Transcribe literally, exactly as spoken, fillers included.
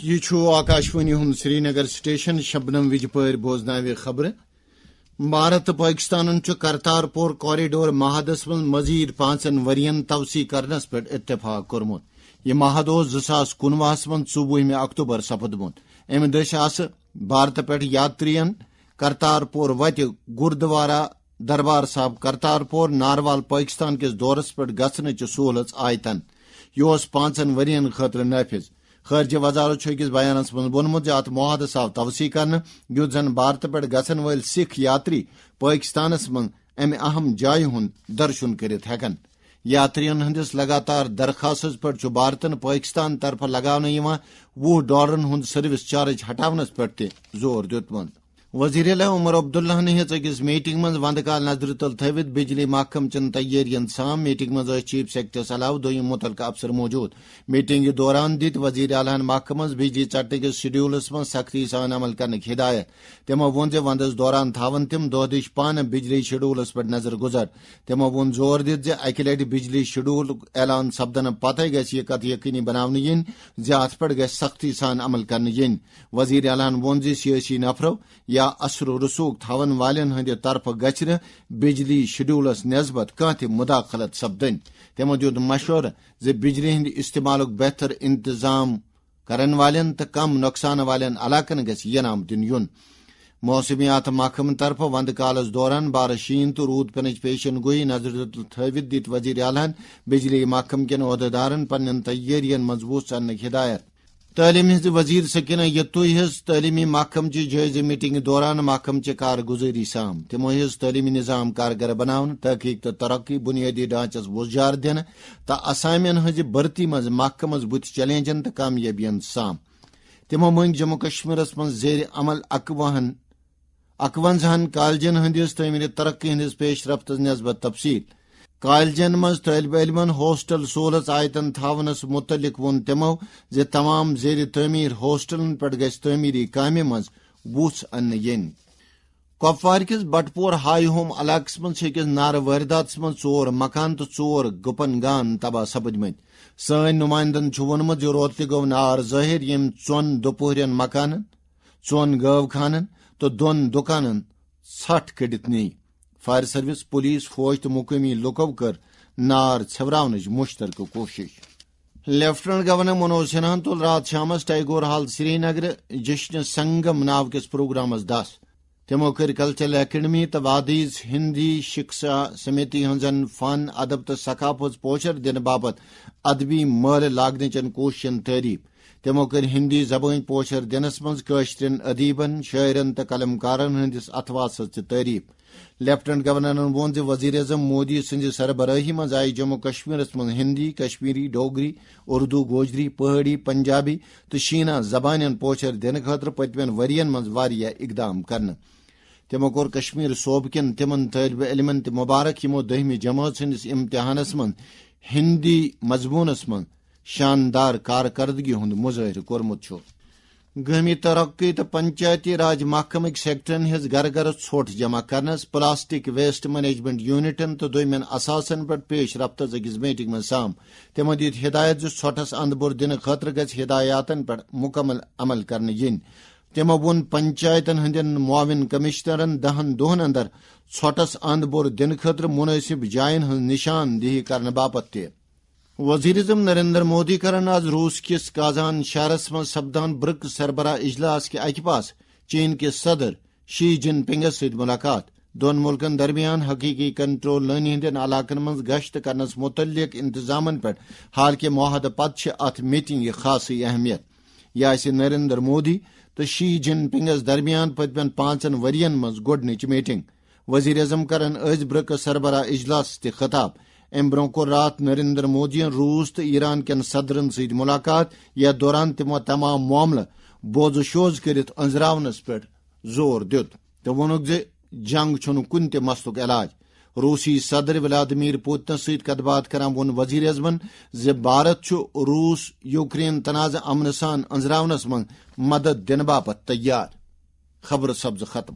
یہِ چھُ آکاشوانی ہُنٛد سرینگر سٹیشن۔ شبنم وجپٲرۍ بوزناوِ خبرٕ۔ بھارت تہٕ پٲکِستانن چھُ کرتارپور کوریڈور معاہدس منٛز مزید پانٛژن ؤرین توسیع کرنس پٮ۪ٹھ اتفاق کوٚرمُت۔ یہِ معاہدٕ اوس زٕ ساس کُنوُہس منٛز ژوٚوُہمہِ اکتوبر سپدمُت۔ امہِ دٔسۍ آسہٕ بھارتہٕ پٮ۪ٹھ یاترین کرتارپور وتہِ گردوارا دربار صاحب کرتارپور ناروال پٲکِستان کِس دورس پٮ۪ٹھ گژھنٕچہِ سہولژ آیتن۔ یہِ اوس پانٛژن ؤرین خٲطرٕ نٲفذ۔ خارجہ وزارت چھُ أکِس بیانس منٛز ووٚنمُت زِ اتھ معاہدس آو توسیع کرنہٕ، یُتھ زن بھارتہٕ پٮ۪ٹھ گژھن وٲلۍ سکھ یاتری پٲکِستانس منٛز امہِ اہم جایہِ ہُنٛد درشُن کٔرِتھ ہٮ۪کن۔ یاترین ہٕنٛدِس لگاتار درخاستس پٮ۪ٹھ چھُ بھارتن پٲکِستان طرفہٕ لگاونہٕ یِوان وُہ ڈالرن ہُنٛد سروس چارج ہٹاونس پٮ۪ٹھ تہِ زور دیُتمُت۔ وزیر اعلیٰ عمر عبداللہن ہیٚژ أکِس میٹنگ منٛز وندٕ کال نظرِ تل تھٲوِتھ بجلی محکمہٕ چٮ۪ن تیٲرین سام۔ میٹنگ منٛز ٲسۍ چیف سیکرٹریس علاوٕ دوٚیِم مُتعلقہٕ افسر موجود۔ میٹنگ دوران دِتۍ وزیر اعلیٰ ہن محکمس بجلی ژٹنہٕ کِس شیڈولس منٛز سختی سان عمل کرنٕکۍ ہدایت۔ تِمو ووٚن زِ وندس دوران تھاون تِم دۄہ دِش پانہٕ بجلی شیڈولس پٮ۪ٹھ نظر گزر۔ تِمو ووٚن زور دِتھ زِ اکہِ لٹہِ بجلی شیڈولُک اعلان سپدنہٕ پتہٕ گژھِ یہِ کتھ یقینی بناونہٕ یِنۍ زِ اتھ پٮ۪ٹھ گژھِ سختی سان عمل کرنہٕ یِنۍ۔ وزیر اعلیٰ ہن ووٚن زِ سیٲسی نفرو یا اثر و رسوخ تھاون والٮ۪ن ہٕنٛدِ طرفہٕ گژھِ نہٕ بجلی شیڈولس نسبت کانٛہہ تہِ مداخلت سپدٕنۍ۔ تِمو دیُت مشورٕ زِ بجلی ہٕنٛدِ استعمالُک بہتر انتظام کرن والٮ۪ن تہٕ کم نۄقصان والٮ۪ن علاقن گژھِ ینام دِنہٕ یُن۔ موسمیات محکمہٕ طرفہٕ وندٕ کالس دوران بارش شیٖن تہٕ روٗد پینٕچ پیشن گویی نظرِ تل تھٲوِتھ دِتۍ وزیر اعلیٰ ہن بجلی محکمہٕ کٮ۪ن عہدیدارن پننٮ۪ن تیٲرین منٛز وُژھ اننٕکۍ ہدایت۔ تعلیٖم ہٕنٛزِ وزیر سکینہ یتوئی ہٕنٛز تعلیٖمی محکمہٕ چہِ جٲیزٕ میٹنگہِ دوران محکمہٕ چہِ کارگزٲری سام۔ تِمو ہیٚژ تعلیٖمی نظام کارگر بناونہٕ، تحقیق تہٕ ترقی، بنیٲدی ڈھانچس وُژھ جار دِنہٕ تہٕ اسامین ہٕنٛزِ بھرتی منٛز محکمس بُتھِ چیلنجن تہٕ کامیٲبین سام۔ تِمو مٔنگۍ جموں کشمیرس منٛز زیر عمل اکوُہن، اکونزہن کالجن ہٕنٛدِس تعمیٖری ترقی ہٕنٛدِس پیش رفتس نسبت تفصیل۔ کالجن منٛز طٲلبہِ علمن ہاسٹل سہولژ آیتن تھاونس مُتعلق ووٚن تِمو زِ تمام زیر تعمیٖر ہاسٹلن پٮ۪ٹھ گژھِ تعمیٖری کامہِ منٛز وُژھ اننہٕ یِنۍ۔ کۄپوارِ کِس بٹپور ہاے ہوم علاقس منٛز چھِ أکِس نارٕ وٲرۍداتس منٛز ژور مکان تہٕ ژور گُپن گان تباہ سپٕدمٕتۍ۔ سٲنۍ نُمایندن چھُ ووٚنمُت زِ روتلہِ گوٚو نار ظٲہِر، ییٚمۍ ژۄن دُپہرٮ۪ن مکانن، ژۄن گٲو خانن تہٕ دۄن دُکانن ژھٹھ کٔڑِتھ نی۔ فائر سروس، پولیس، فوج تہٕ مقٲمی لوٗکو کٔر نار ژھٮ۪وراونٕچ مُشترکہٕ کوٗشش۔ لیفٹیننٹ گورنر منوج سنہاہن تُل راتھ شامس ٹیگور ہال سرینگر جشن سنگم ناو کِس پروگرامس دس۔ تِمو کٔرۍ کلچرل اکیڈمی تہٕ وادیز ہندی شکشا سمیتی ہٕنٛزن فن، ادب تہٕ ثقافت پوچر دِنہٕ باپتھ ادبی مٲلہٕ لاگنٕچن کوٗششن تعریف۔ تِمو کٔرۍ ہندی زبٲنۍ پوچر دِنس منٛز کٲشرٮ۪ن ادیبن، شٲعرن تہٕ قلمکارن ہٕنٛدِس اتھواسس تہِ تعریف۔ لیفٹیننٹ گورنرن ووٚن زِ وزیر اعظم مودی سٕنٛزِ سربرٲہی منٛز آیہِ جموں کشمیرس منٛز ہندی، کشمیری، ڈوگری، اردو، گوجری، پہٲڑی، پنجابی تہٕ شینا زبانن پوچر دِنہٕ خٲطرٕ پٔتمٮ۪ن ؤرین منٛز واریاہ اقدام کرنہٕ۔ تِمو کوٚر کشمیر صوبہٕ کٮ۪ن تِمن طٲلبہِ علمن تہِ مبارک، یِمو دٔہمہِ جمٲژ ہٕنٛدِس امتحانس منٛز ہندی مضموٗنس منٛز شاندار کارکردگی ہُنٛد مظٲہرٕ کوٚرمُت چھُ۔ گٲمی ترقی تہٕ پنچایتی راج محکمٕکۍ سیکٹرن ہٕنٛز گرٕ گرٕ ژھۄٹھ جمع کرنس، پلاسٹک ویسٹ مینجمنٹ یونٹن تہٕ دوٚیمٮ۪ن اثاثن پٮ۪ٹھ پیش رفتس أکِس میٹنگ منٛز سام۔ تِمو دِتۍ ہدایت زِ ژھۄٹھس اند بُر دِنہٕ خٲطرٕ گژھِ ہدایاتن پٮ۪ٹھ مکمل عمل کرنہٕ یِنۍ۔ تِمو ووٚن پنچایتن ہٕنٛدٮ۪ن معاون کمشنرن دہن دۄہن اندر ژھۄٹس اند بُر دِنہٕ خٲطرٕ مناسب جاین ہٕنٛز نشاندہی کرنہٕ باپتھ تہِ۔ وزیر اعظم نریندر مودی کرن آز روس کِس کازان شہرس منٛز سپدان برکس سربراہ اجلاس کہِ اکہِ پاسہٕ چین کِس صدر شی جن پنگس سۭتۍ ملاقات۔ دۄن مُلکن درمیان حقیقی کنٹرول لٲنہِ ہٕنٛدٮ۪ن علاقن منٛز گشت کرنس مُتعلق انتظامن پٮ۪ٹھ حالکہِ معاہدٕ پتہٕ چھِ اتھ میٹنگہِ خاصٕے اہمیت۔ یہِ آسہِ نریندر مودی تہٕ شی جن پنگس درمیان پٔتمٮ۪ن پانٛژن ؤرین منٛز گۄڈٕنِچ میٹنگ۔ وزیر اعظم کرن أزۍ برکس سربراہ اجلاس تہِ خطاب۔ امہِ برونٛہہ کوٚر راتھ نریندر مودیَن روس تہٕ ایران کٮ۪ن صدرن سۭتۍ ملاقات، یتھ دوران تِمو تمام معاملہٕ بوزٕ شوز کٔرِتھ أنزراونس پٮ۪ٹھ زور دیُت تہٕ ووٚنُکھ زِ جنگ چھُنہٕ کُنہِ تہِ مسلُک علاج۔ روسی صدر ولادیمیر پوتنس سۭتۍ کتھ باتھ کران ووٚن وزیر اعظمن زِ بھارت چھُ روس یوکرین تنازٕ امنہٕ سان أنزراونس منٛز مدد دِنہٕ باپتھ تیار۔ خبرٕ سپزٕ ختم۔